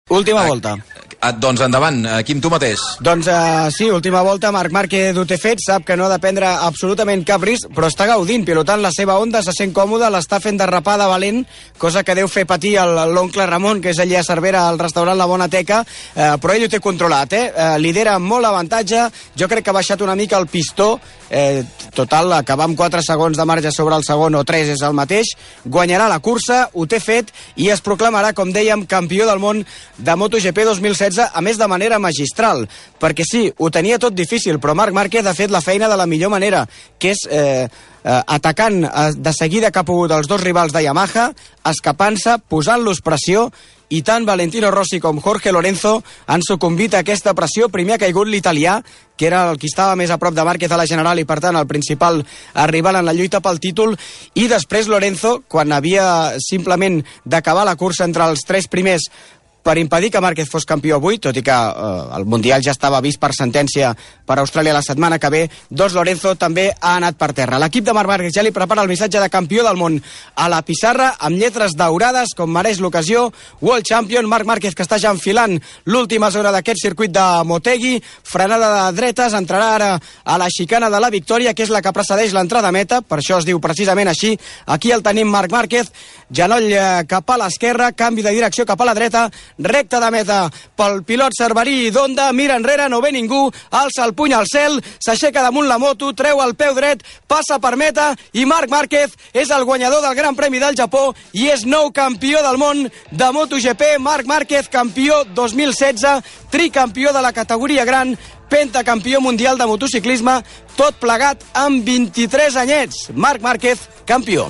Última volta. Doncs endavant, Quim, tu mateix. Doncs sí, última volta, Marc Márquez ho té fet, sap que no ha de prendre absolutament cap risc, però està gaudint, pilotant la seva Honda, se sent còmode, l'està fent derrapar de valent, cosa que deu fer patir l'oncle Ramon, que és allà a Cervera, al restaurant La Bona Teca, però ell ho té controlat, lidera amb molt avantatge, jo crec que ha baixat una mica el pistó, total, acabar amb 4 segons de marge sobre el segon o 3 és el mateix, guanyarà la cursa, ho té fet, i es proclamarà, com dèiem, campió del món de MotoGP 2016, a més de manera magistral, perquè sí, ho tenia tot difícil, però Marc Márquez ha fet la feina de la millor manera, que és atacant de seguida que ha pogut els dos rivals de Yamaha, escapant-se, posant-los pressió, i tant Valentino Rossi com Jorge Lorenzo han sucumbit a aquesta pressió. Primer ha caigut l'italià, que era el qui estava més a prop de Márquez a la general i per tant el principal rival en la lluita pel títol, i després Lorenzo, quan havia simplement d'acabar la cursa entre els 3 primers per impedir que Márquez fos campió avui, tot i que el Mundial ja estava vist per sentència per Austràlia la setmana que ve, doncs Lorenzo també ha anat per terra. L'equip de Marc Márquez ja li prepara el missatge de campió del món a la pissarra, amb lletres daurades, com mereix l'ocasió. World Champion, Marc Márquez, que està ja enfilant l'última zona d'aquest circuit de Motegi, frenada de dretes, entrarà ara a la xicana de la victòria, que és la que precedeix l'entrada a meta, per això es diu precisament així. Aquí el tenim Marc Márquez, genoll cap a l'esquerra, canvi de direcció cap a la dreta, recta de meta pel pilot cerverí d'Honda, mira enrere, no ve ningú, alça el puny al cel, s'aixeca damunt la moto, treu el peu dret, passa per meta, i Marc Márquez és el guanyador del Gran Premi del Japó i és nou campió del món de MotoGP. Marc Márquez, campió 2016, tricampió de la categoria gran, pentacampió mundial de motociclisme, tot plegat amb 23 anyets. Marc Márquez, campió.